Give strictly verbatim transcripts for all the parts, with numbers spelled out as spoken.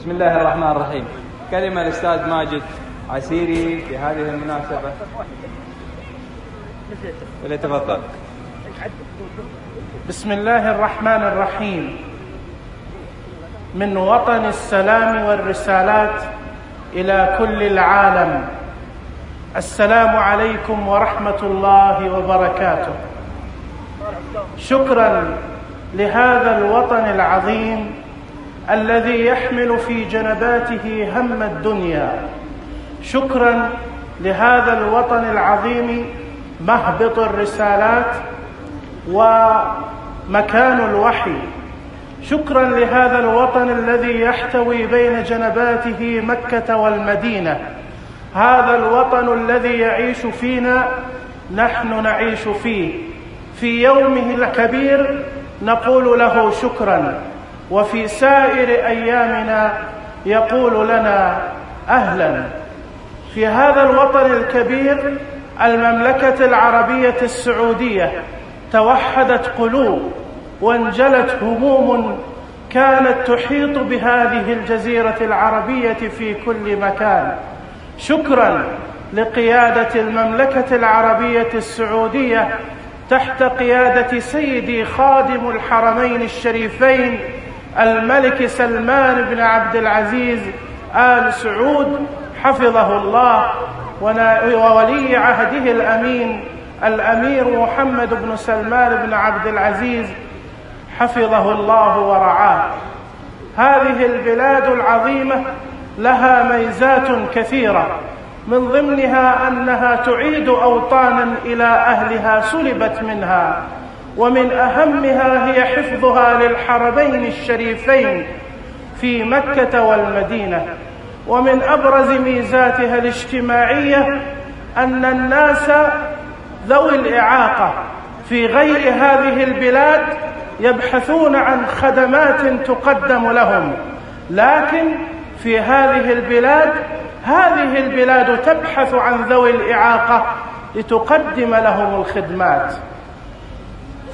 بسم الله الرحمن الرحيم. كلمة الأستاذ ماجد عسيري في هذه المناسبة، وليتفضل. بسم الله الرحمن الرحيم. من وطن السلام والرسالات إلى كل العالم، السلام عليكم ورحمة الله وبركاته. شكرا لهذا الوطن العظيم الذي يحمل في جنباته هم الدنيا. شكرا لهذا الوطن العظيم مهبط الرسالات ومكان الوحي. شكرا لهذا الوطن الذي يحتوي بين جنباته مكة والمدينة. هذا الوطن الذي يعيش فينا نحن نعيش فيه. في يومه الكبير نقول له شكرا، وفي سائر أيامنا يقول لنا أهلا. في هذا الوطن الكبير المملكة العربية السعودية توحدت قلوب وانجلت هموم كانت تحيط بهذه الجزيرة العربية في كل مكان. شكرا لقيادة المملكة العربية السعودية تحت قيادة سيدي خادم الحرمين الشريفين الملك سلمان بن عبد العزيز آل سعود حفظه الله، وولي عهده الأمين الأمير محمد بن سلمان بن عبد العزيز حفظه الله ورعاه. هذه البلاد العظيمة لها ميزات كثيرة، من ضمنها أنها تعيد أوطانا إلى أهلها سلبت منها، ومن أهمها هي حفظها للحرمين الشريفين في مكة والمدينة. ومن أبرز ميزاتها الاجتماعية أن الناس ذوي الإعاقة في غير هذه البلاد يبحثون عن خدمات تقدم لهم، لكن في هذه البلاد هذه البلاد تبحث عن ذوي الإعاقة لتقدم لهم الخدمات.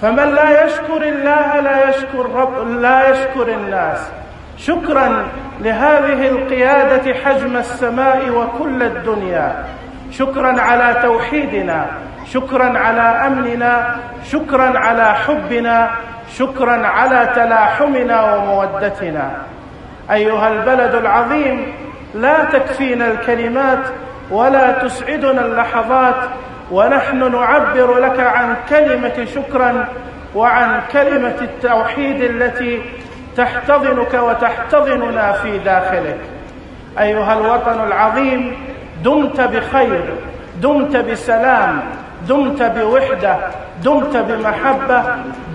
فمن لا يشكر الله لا يشكر رب لا يشكر الناس. شكرا لهذه القيادة حجم السماء وكل الدنيا. شكرا على توحيدنا، شكرا على أمننا، شكرا على حبنا، شكرا على تلاحمنا ومودتنا. أيها البلد العظيم، لا تكفينا الكلمات ولا تسعدنا اللحظات ونحن نعبر لك عن كلمة شكرا وعن كلمة التوحيد التي تحتضنك وتحتضننا في داخلك. أيها الوطن العظيم، دمت بخير، دمت بسلام، دمت بوحدة، دمت بمحبة،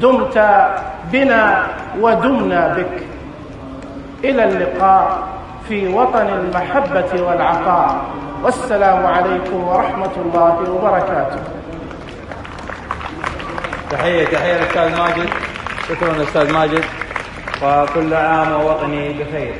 دمت بنا ودمنا بك. إلى اللقاء في وطن المحبة والعطاء، والسلام عليكم ورحمة الله وبركاته. تحية تحية للأستاذ ماجد. شكرا للأستاذ ماجد، وكل عام ووطني بخير.